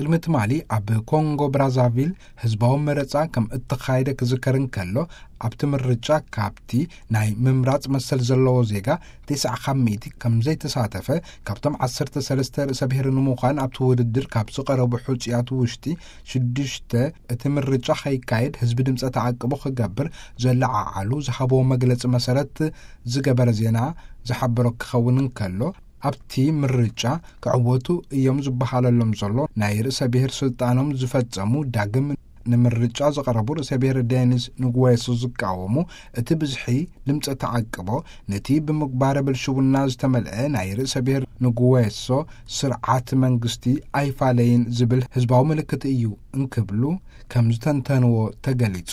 ቅድሚ ትማሊ ኣብ ኮንጎ ብራዛቪል ህዝባዊ መረጻ ከም እተኻየደ ክዝከር እንከሎ፣ ኣብቲ ምርጫ ካብቲ ናይ ምምራጽ መሰል ዘለዎ ዜጋ ተስዓ ካብ ሚእቲ ከም ዘይተሳተፈ፣ ካብቶም ዓሰርተ ሰለስተ ርእሰ ብሔር ንምዃን ኣብቲ ውድድር ካብ ዝቐረቡ ሕጹያት ውሽጢ ሽዱሽተ፣ እቲ ምርጫ ከይካየድ ህዝቢ ድምጸ ተዓቅቦ ክገብር ዘለዓዓሉ ዝሃብዎ መግለጺ መሰረት ዝገበረ ዜና ዝሓበሮ ክኸውን እንከሎ፣ ኣብቲ ምርጫ ክዕወቱ እዮም ዝበሃለሎም ዘሎ ናይ ርእሰ ብሔር ስልጣኖም ዝፈጸሙ ዳግም ንምርጫ ዝቐረቡ ርእሰ ብሔር ዴኒስ ንጉዌሶ ዝቃወሙ፣ እቲ ብዝሒ ድምፀ ተዓቅቦ ነቲ ብምግባረ ብልሽውና ዝተመልአ ናይ ርእሰ ብሔር ንጉዌሶ ስርዓት መንግስቲ ኣይፋለይን ዝብል ህዝባዊ ምልክት እዩ እንክብሉ ከም ዝተንተንዎ ተገሊጹ።